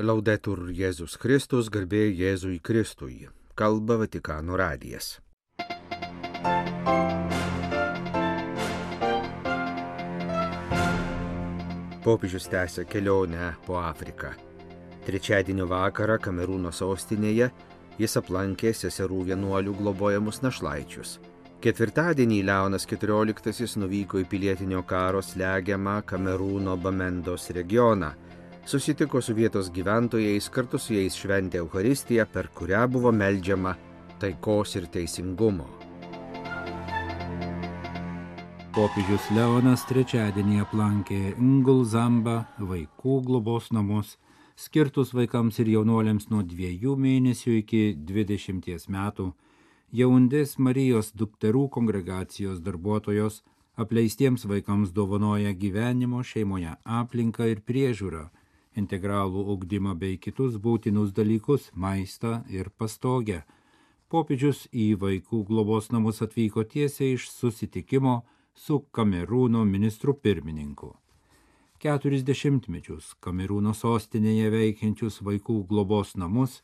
Laudetur Jėzus Kristus, garbė Jėzui Kristui. Kalba Vatikano radijas. Popiežius tęsia kelionę po Afriką. Trečiadienio vakarą Kamerūno sostinėje jis aplankė seserų vienuolių globojamus našlaičius. Ketvirtadienį Leonas XIV nuvyko į pilietinio karo slegiamą Kamerūno Bamendos regioną. Susitiko su vietos gyventojais, kartu su jais šventė Eucharistiją, per kurią buvo meldžiama taikos ir teisingumo. Popiežius Leonas trečiadienį aplankė Ngulzamba vaikų globos namus, skirtus vaikams ir jaunuoliams nuo 2 mėnesių iki 20 metų. Jaundės Marijos dukterų kongregacijos darbuotojos apleistiems vaikams dovanoja gyvenimo šeimoje aplinką ir priežiūrą, integralų ugdymą bei kitus būtinus dalykus, maistą ir pastogę. Popiežius į vaikų globos namus atvyko tiesiai iš susitikimo su Kamerūno ministru pirmininku. 40 metus Kamerūno sostinėje veikiančius vaikų globos namus,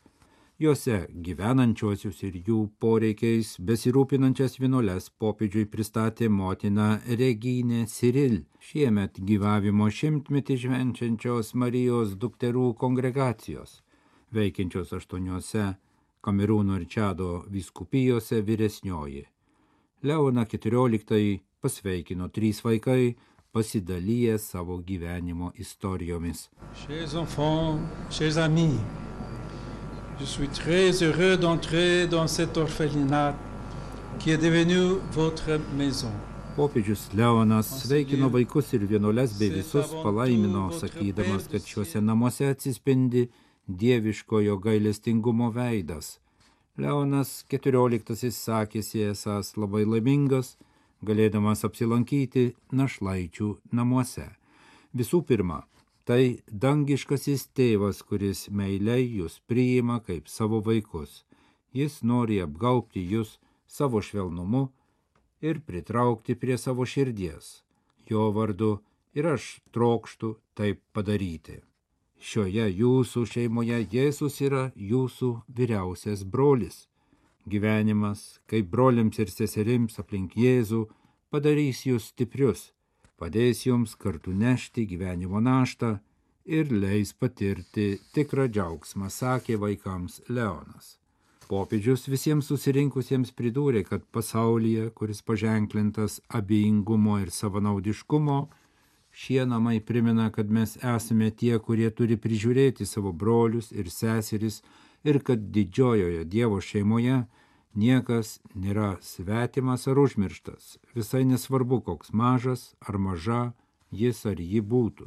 juose gyvenančiuosius ir jų poreikiais besirūpinančias vienuoles popiežiui pristatė motina Regine Cyril, šiemet gyvavimo 100-metį švenčiančios Marijos dukterų kongregacijos, veikiančios 8 Kamerūno ir Čado vyskupijose vyresnioji. Leoną XIV pasveikino 3 vaikai, pasidalyję savo gyvenimo istorijomis. Chers enfants, chers amis, je suis très heureux d'entrer dans cet orphelinat qui est devenu votre maison. Popiežius Leonas sveikino vaikus ir vienuoles bei visus palaimino, sakydamas, kad šiuose namuose atsispindi dieviškojo gailestingumo veidas. Leonas XIV sakėsi esąs labai laimingas, galėdamas apsilankyti našlaičių namuose. Visų pirma, tai dangiškasis tėvas, kuris meiliai jūs priima kaip savo vaikus. Jis nori apgaubti jūs savo švelnumu ir pritraukti prie savo širdies. Jo vardu ir aš trokštu taip padaryti. Šioje jūsų šeimoje Jėzus yra jūsų vyriausias brolis. Gyvenimas, kaip broliams ir seserims aplink Jėzų, padarys jūs stiprius, padės jums kartu nešti gyvenimo naštą ir leis patirti tikrą džiaugsmą, sakė vaikams Leonas. Popiežius visiems susirinkusiems pridūrė, kad pasaulyje, kuris paženklintas abejingumo ir savanaudiškumo, šie namai primena, kad mes esame tie, kurie turi prižiūrėti savo brolius ir seseris ir kad didžiojoje Dievo šeimoje niekas nėra svetimas ar užmirštas, visai nesvarbu, koks mažas ar maža jis ar ji būtų.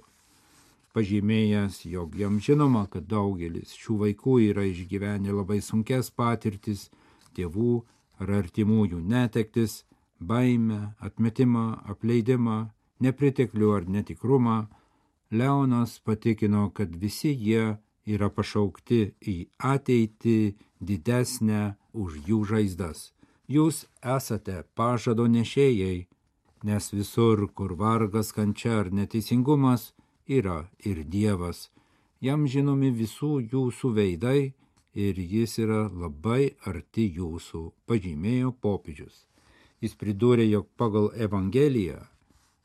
Pažymėjęs, jog jam žinoma, kad daugelis šių vaikų yra išgyvenę labai sunkias patirtis, tėvų ar artimųjų netektis, baimę, atmetimą, apleidimą, nepriteklių ar netikrumą, Leonas patikino, kad visi jie yra pašaukti į ateitį didesnę už jų žaizdas. Jūs esate pažado nešėjai, nes visur, kur vargas, kančia ar neteisingumas, yra ir Dievas. Jam žinomi visų jūsų veidai ir jis yra labai arti jūsų, pažymėjo popiežius. Jis pridūrė, jog pagal Evangeliją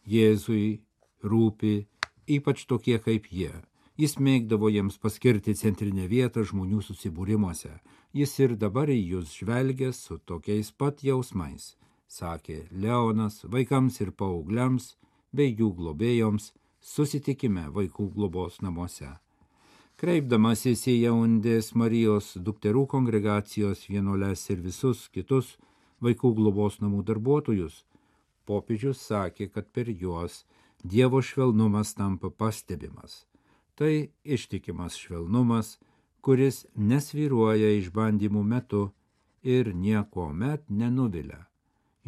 Jėzui rūpi ypač tokie kaip jie. Jis mėgdavo jiems paskirti centrinę vietą žmonių susibūrimuose. Jis ir dabar į jūs žvelgia su tokiais pat jausmais, sakė Leonas vaikams ir paaugliams bei jų globėjoms susitikime vaikų globos namuose. Kreipdamasis į Jaundės Marijos dukterų kongregacijos vienuoles ir visus kitus vaikų globos namų darbuotojus, popiežius sakė, kad per juos Dievo švelnumas tampa pastebimas. Tai ištikimas švelnumas, kuris nesvyruoja išbandymų metu ir niekuomet nenuvilia.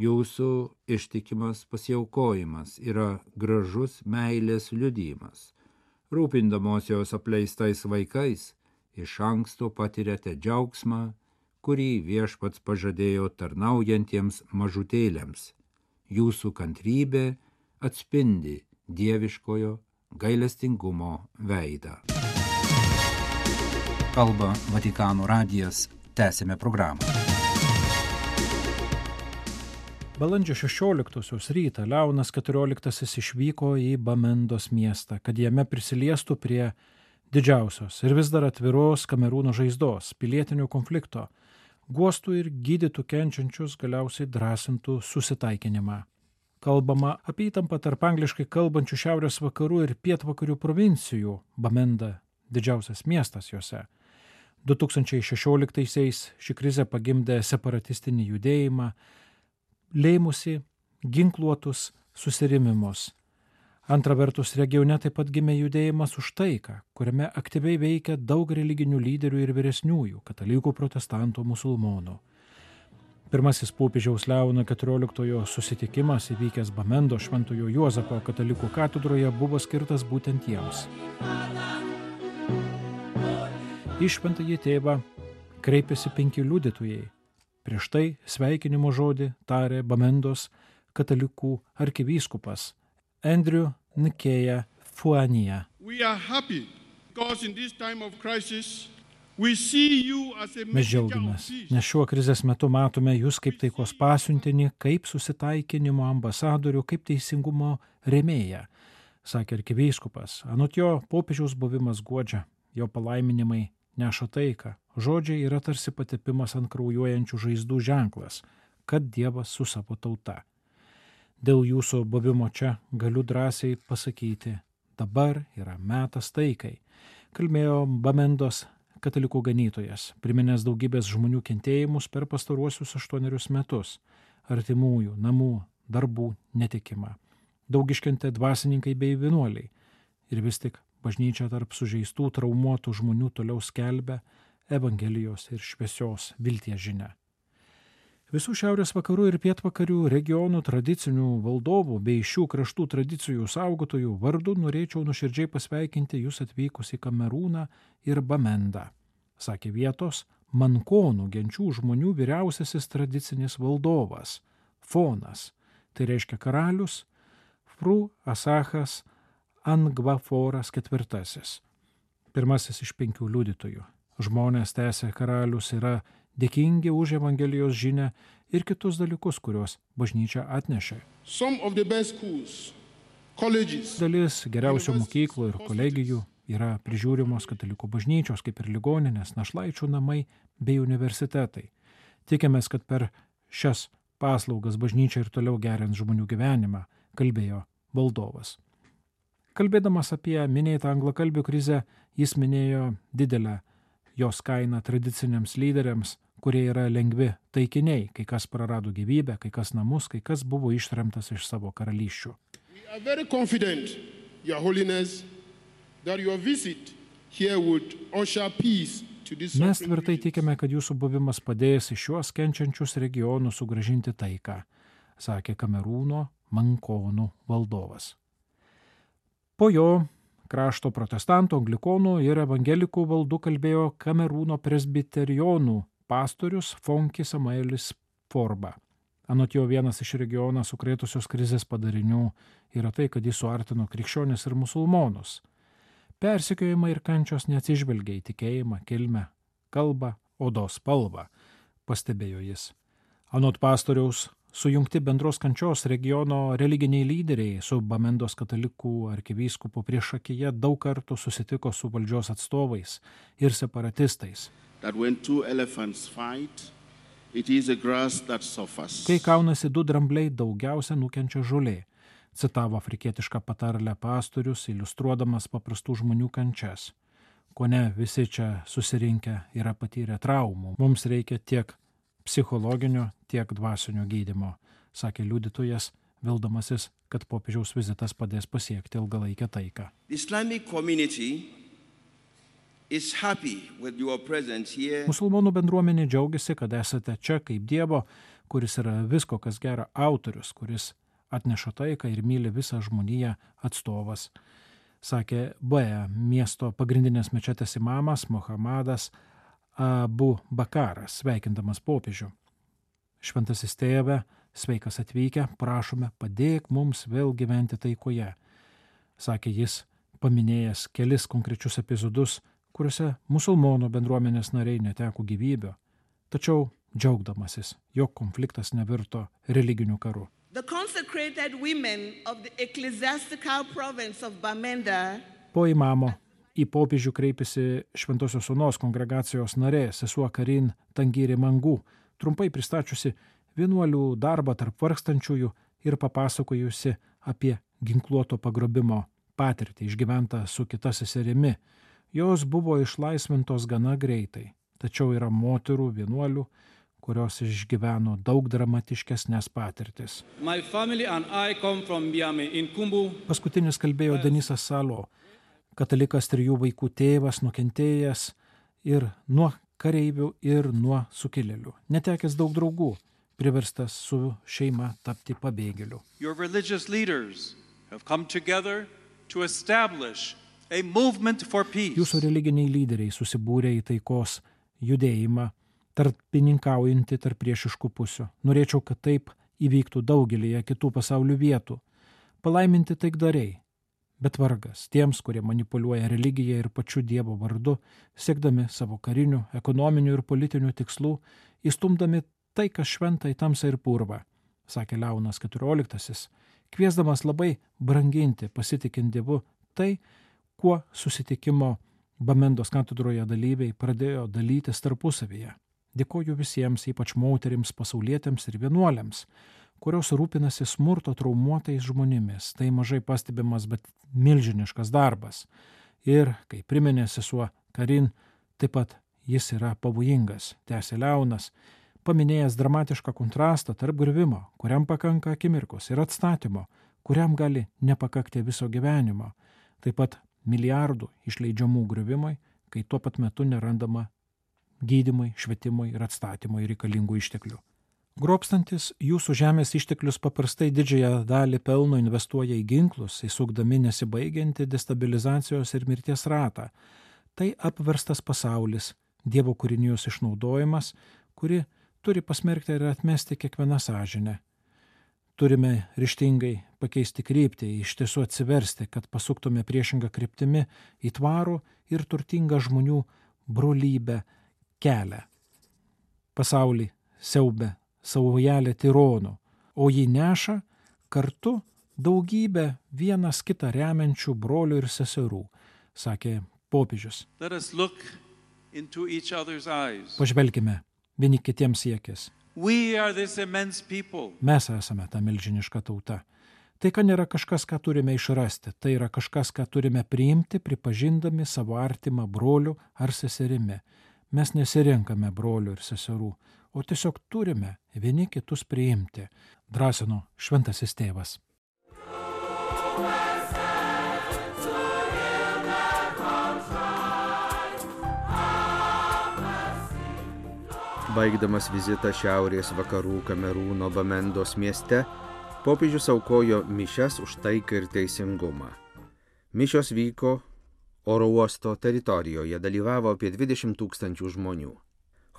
Jūsų ištikimas pasiaukojimas yra gražus meilės liudijimas. Rūpindamosios apleistais vaikais, iš anksto patiriate džiaugsmą, kurį Viešpats pažadėjo tarnaujantiems mažutėliams. Jūsų kantrybė atspindi dieviškojo gailestingumo veidą. Kalba Vatikano radijas. Tęsime programą. Balandžio 16 rytą Leonas XIV išvyko į Bamendos miestą, kad jame prisiliestų prie didžiausios ir vis dar atviros Kamerūno žaizdos, pilietinio konflikto, guostų ir gydytų kenčiančius, galiausiai drąsintų susitaikinimą. Kalbama apie įtampą tarp angliškai kalbančių šiaurės vakarų ir pietvakarių provincijų, Bamenda didžiausias miestas juose. 2016-aisiais ši krizė pagimdė separatistinį judėjimą, lėmusi ginkluotus susirėmimus. Antra vertus, regione taip pat gimė judėjimas už taiką, kuriame aktyviai veikia daug religinių lyderių ir vyresniųjų, katalikų, protestantų, musulmonų. Pirmasis popiežiaus Leono XIV susitikimas įvykęs Bamendo Šventojo Juozapo katalikų katedroje buvo skirtas būtent jiems. Į Šventąjį tėvą kreipėsi 5 liudytojai. Prieš tai sveikinimo žodį tarė Bamendos katalikų arkivyskupas Andrew Nkeya Fuania. Mes džiaugiamės, nes šiuo krizės metu matome jūs kaip taikos pasiuntinį, kaip susitaikinimo ambasadorių, kaip teisingumo rėmėją, sakė arkivyskupas. Anot jo, popiežiaus buvimas guodžia, jo palaiminimai neša taiką. Žodžiai yra tarsi patepimas ant kraujuojančių žaizdų ženklas, kad Dievas su savo tauta. Dėl jūsų buvimo čia galiu drąsiai pasakyti, dabar yra metas taikai, kalbėjo Bamendos katalikų ganytojas, priminęs daugybės žmonių kentėjimus per pastaruosius 8 metus, artimųjų, namų, darbų netekimą. Daug iškentė dvasininkai bei vienuoliai. Ir vis tik bažnyčia tarp sužeistų, traumuotų žmonių toliau skelbia Evangelijos ir šviesios vilties žinia. Visų šiaurės vakarų ir pietvakarių regionų tradicinių valdovų bei šių kraštų tradicijų saugotojų vardu norėčiau nuoširdžiai pasveikinti jūs atvykus į Kamerūną ir Bamendą, sakė vietos mankonų genčių žmonių vyriausiasis tradicinis valdovas, Fonas, tai reiškia karalius, Fru Asachas Angvaforas IV, pirmasis iš 5 liudytojų. Žmonės, tęsė karalius, yra dėkingi už Evangelijos žinią ir kitus dalykus, kuriuos bažnyčia atnešė. Dalis geriausių mokyklų ir kolegijų yra prižiūrimos katalikų bažnyčios, kaip ir ligoninės, našlaičių namai bei universitetai. Tikimės, kad per šias paslaugas bažnyčia ir toliau gerins žmonių gyvenimą, kalbėjo valdovas. Kalbėdamas apie minėtą anglakalbių krizę, jis minėjo didelę jos kainą tradiciniams lyderiams, kurie yra lengvi taikiniai, kai kas prarado gyvybę, kai kas namus, kai kas buvo ištremtas iš savo karalysčių. Mes tvirtai tikime, kad jūsų buvimas padės į šiuos kenčiančius regionus sugrąžinti taiką, sakė Kamerūno mankonų valdovas. Po jo krašto protestantų, anglikonų ir evangelikų valdų kalbėjo Kamerūno presbiterionų pastorius Fonki Samuelis Forba. Anot jo, vienas iš regioną sukrėtusios krizės padarinių yra tai, kad jis suartino krikščionis ir musulmonus. Persekiojimai ir kančios neatsižvelgia į tikėjimą, kilmę, kalbą, odos spalvą, pastebėjo jis. Anot pastoriaus, sujungti bendros kančios regiono religiniai lyderiai su Bamendos katalikų arkivyskupu priešakyje daug kartų susitiko su valdžios atstovais ir separatistais. Kai kaunasi 2 drambliai, daugiausia nukenčia žolė, citavo afrikietišką patarlę pastorius, iliustruodamas paprastų žmonių kančias. Kone visi čia susirinkę yra patyrę traumų. Mums reikia tiek psichologinio, tiek dvasinio gydymo, sakė liudytojas, vildamasis, kad popiežiaus vizitas padės pasiekti ilgalaikę taiką. Musulmonų bendruomenė džiaugiasi, kad esate čia kaip Dievo, kuris yra visko, kas gera, autorius, kuris atneša taiką ir myli visą žmoniją atstovas, sakė Bea miesto pagrindinės mečetės imamas Mohamedas Abu Bakaras, sveikindamas popiežių. Šventasis tėve, sveikas atvykę, prašome, padėk mums vėl gyventi taikoje, sakė jis, paminėjęs kelis konkrečius epizodus, kuriuose musulmonų bendruomenės nariai neteko gyvybę, tačiau džiaugdamasis, jog konfliktas nevirto religiniu karu. The consecrated women of the ecclesiastical province of Bamenda Po imamo į popiežių kreipėsi Šventosios Onos kongregacijos narė sesuo Karin Tangiri Mangu, trumpai pristačiusi vienuolių darbą tarp vargstančiųjų ir papasakojusi apie ginkluoto pagrobimo patirtį išgyventą su kita seserimi. Jos buvo išlaisvintos gana greitai, tačiau yra moterų vienuolių, kurios išgyveno daug dramatiškesnės patirtis. Paskutinis kalbėjo Denisas Salo, katalikas 3 vaikų tėvas, nukentėjęs ir nuo kareivių ir nuo sukilėlių, netekęs daug draugų, priverstas su šeima tapti pabėgėliu. Your religious leaders have come together to establish a movement for peace. Jūsų religiniai lyderiai susibūrė į taikos judėjimą, tarpininkaujantį tarp priešiškų pusių. Norėčiau, kad taip įvyktų daugelėje kitų pasaulio vietų. Palaiminti taikdariai, bet vargas tiems, kurie manipuliuoja religiją ir pačiu Dievo vardu, siekdami savo karinių, ekonominių ir politinių tikslų, įstumdami tai, kas šventa į tamsą ir purvą, sakė Leonas XIV, kviesdamas labai branginti, pasitikint Dievu tai, kuo susitikimo Bamendos katedroje dalyviai pradėjo dalytis tarpusavyje. Dėkoju visiems, ypač moterims, pasaulietėms ir vienuoliams, kurios rūpinasi smurto traumuotais žmonėmis. Tai mažai pastebimas, bet milžiniškas darbas. Ir, kai priminė sesuo Karin, taip pat jis yra pavojingas, tęsė Leonas, paminėjęs dramatišką kontrastą tarp griuvimo, kuriam pakanka akimirkos, ir atstatymo, kuriam gali nepakakti viso gyvenimo. Taip pat milijardų išleidžiamų griuvimui, kai tuo pat metu nerandama gydymui, švietimui ir atstatymui reikalingų išteklių. Grobstantis jūsų žemės išteklius paprastai didžiąją dalį pelno investuoja į ginklus, įsukdami nesibaigiantį destabilizacijos ir mirties ratą. Tai apverstas pasaulis, Dievo kūrinijos išnaudojimas, kuri turi pasmerkti ir atmesti kiekvieną sąžinę. Turime ryžtingai pakeisti kryptį, iš tiesų atsiversti, kad pasuktume priešingą kryptimi į tvarų ir turtingą žmonių brolybę kelią. Pasaulį siaubia saujelė tironų, o jį neša kartu daugybę vienas kitą remiančių brolių ir seserų, sakė popiežius. Pažvelkime vieni kitiems į akis. Mes esame ta milžiniška tauta. Taika nėra kažkas, ką turime išrasti, tai yra kažkas, ką turime priimti, pripažindami savo artimą brolių ar seserimi. Mes nesirenkame brolių ir seserų, o tiesiog turime vieni kitus priimti, drąsino Šventasis Tėvas. Baigdamas vizitą šiaurės vakarų Kamerūno Bamendos mieste, popiežius aukojo mišias už taiką ir teisingumą. Mišios vyko oro uosto teritorijoje, dalyvavo apie 20 000 žmonių.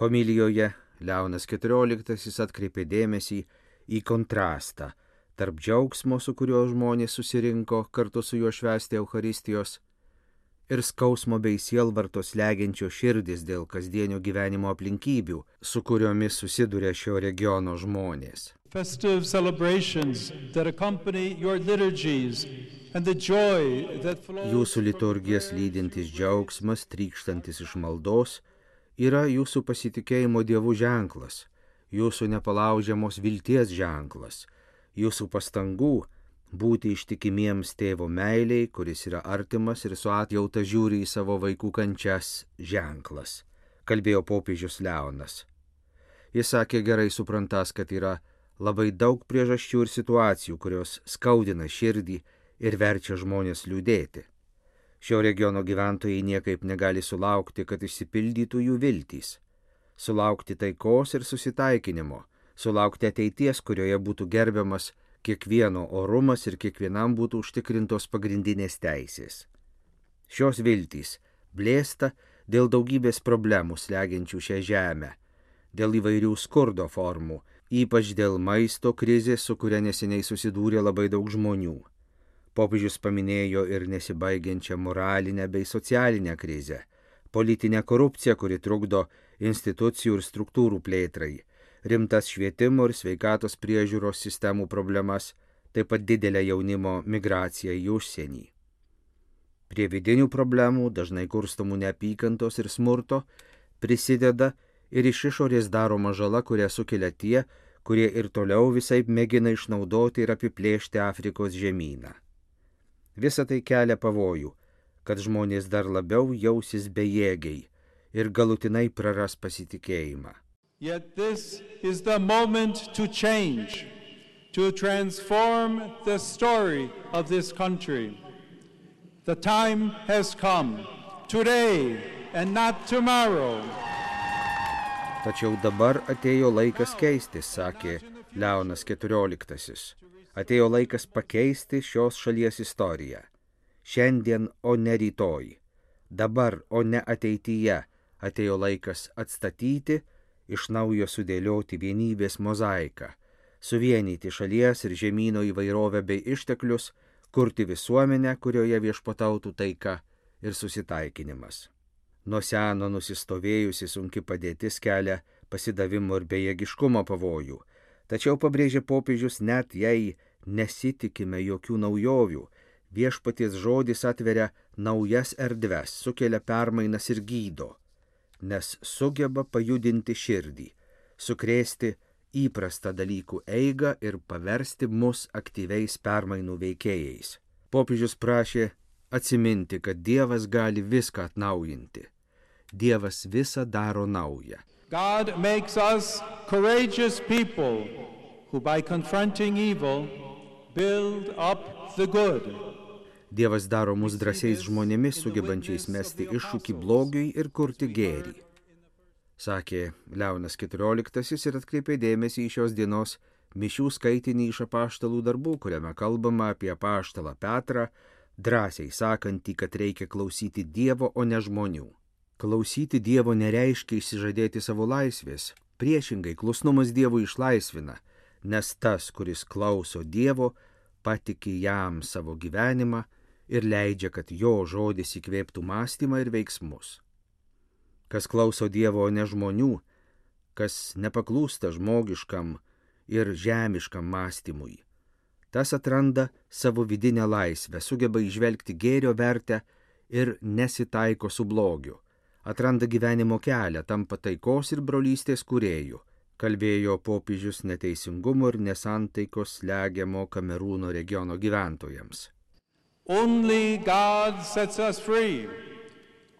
Homilijoje Leonas XIV atkreipė dėmesį į kontrastą tarp džiaugsmo, su kuriuo žmonės susirinko kartu su juo švęsti Eucharistijos, ir skausmo bei sielvartos slegiančio širdis dėl kasdienio gyvenimo aplinkybių, su kuriomis susiduria šio regiono žmonės. Festive celebrations that accompany your liturgies and the joy that flows. Jūsų liturgijas lydintis džiaugsmas, trykštantis iš maldos, yra jūsų pasitikėjimo Dievu ženklas, jūsų nepalaužiamos vilties ženklas, jūsų pastangų būti ištikimiems tėvo meiliai, kuris yra artimas ir su atjauta žiūri į savo vaikų kančias ženklas, kalbėjo popiežius Leonas. Jis sakė gerai suprantas, kad yra labai daug priežasčių ir situacijų, kurios skaudina širdį ir verčia žmonės liūdėti. Šio regiono gyventojai niekaip negali sulaukti, kad išsipildytų jų viltys, sulaukti taikos ir susitaikinimo, sulaukti ateities, kurioje būtų gerbiamas kiekvieno orumas ir kiekvienam būtų užtikrintos pagrindinės teisės. Šios viltys blėsta dėl daugybės problemų slegiančių šią žemę, dėl įvairių skurdo formų, ypač dėl maisto krizės, su kuria neseniai susidūrė labai daug žmonių. Popiežius paminėjo ir nesibaigiančią moralinę bei socialinę krizę, politinė korupcija, kuri trukdo institucijų ir struktūrų plėtrai, rimtas švietimo ir sveikatos priežiūros sistemų problemas, taip pat didelė jaunimo migracija į užsienį. Prie vidinių problemų, dažnai kurstomų neapykantos ir smurto, prisideda ir iš išorės daroma žala, kurią sukelia tie, kurie ir toliau visaip mėgina išnaudoti ir apiplėšti Afrikos žemyną. Visa tai kelia pavojų, kad žmonės dar labiau jausis bejėgiai ir galutinai praras pasitikėjimą. Yet this is the moment to change, to transform the story of this country. The time has come, today and not tomorrow. Tačiau dabar atėjo laikas keistis, sakė Leonas XIV. Atėjo laikas pakeisti šios šalies istoriją. Šiandien, o ne rytoj. Dabar, o ne ateityje, atėjo laikas atstatyti, iš naujo sudėlioti vienybės mozaiką, suvienyti šalies ir žemyno įvairovę bei išteklius, kurti visuomenę, kurioje viešpatautų taika ir susitaikinimas. Nuo seno nusistovėjusi sunki padėtis kelia pasidavimo ir bejėgiškumo pavojų, tačiau pabrėžė popiežius, net jei nesitikime jokių naujovių, viešpaties žodis atveria naujas erdves, sukelia permainas ir gydo, nes sugeba pajudinti širdį, sukrėsti įprastą dalykų eigą ir paversti mus aktyviais permainų veikėjais. Popiežius prašė atsiminti, kad Dievas gali viską atnaujinti. Dievas visą daro naują. God makes us courageous people who by confronting evil build up the good. Dievas daro mus drąsiais žmonėmis, sugebančiais mesti iššūkį blogiui ir kurti gėrį, sakė Leonas XIV ir atkreipė dėmesį į šios dienos mišių skaitinį iš apaštalų darbų, kuriame kalbama apie apaštalą Petrą, drąsiai sakantį, kad reikia klausyti Dievo, o ne žmonių. Klausyti Dievo nereiškia išsižadėti savo laisvės. Priešingai, klusnumas Dievui išlaisvina, nes tas, kuris klauso Dievo, patiki jam savo gyvenimą ir leidžia, kad jo žodis įkvėptų mąstymą ir veiksmus. Kas klauso Dievo, o ne žmonių, kas nepaklūsta žmogiškam ir žemiškam mąstymui, tas atranda savo vidinę laisvę, sugeba įžvelgti gėrio vertę ir nesitaiko su blogiu, atranda gyvenimo kelią, tampa taikos ir brolystės kūrėjų, kalbėjo popiežius neteisingumo ir nesantaikos slegiamo Kamerūno regiono gyventojams. Only God sets us free.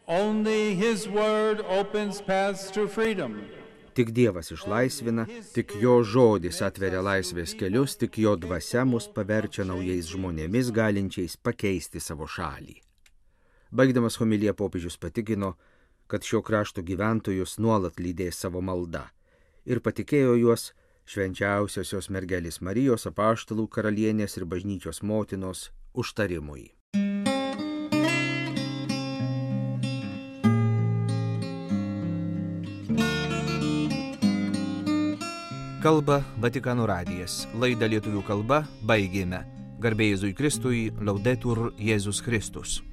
Only His word opens paths to freedom. Tik Dievas išlaisvina, tik jo žodis atveria laisvės kelius, tik jo dvasia mus paverčia naujais žmonėmis, galinčiais pakeisti savo šalį. Baigdamas homiliją popiežius patikino, kad šio krašto gyventojus nuolat lydės savo malda ir patikėjo juos švenčiausiosios mergelės Marijos, apaštalų karalienės ir bažnyčios motinos užtarimui. Kalba Vatikano radijas. Laidą lietuvių kalba baigėme. Garbė Jėzui Kristui, Laudetur Jėzus Kristus.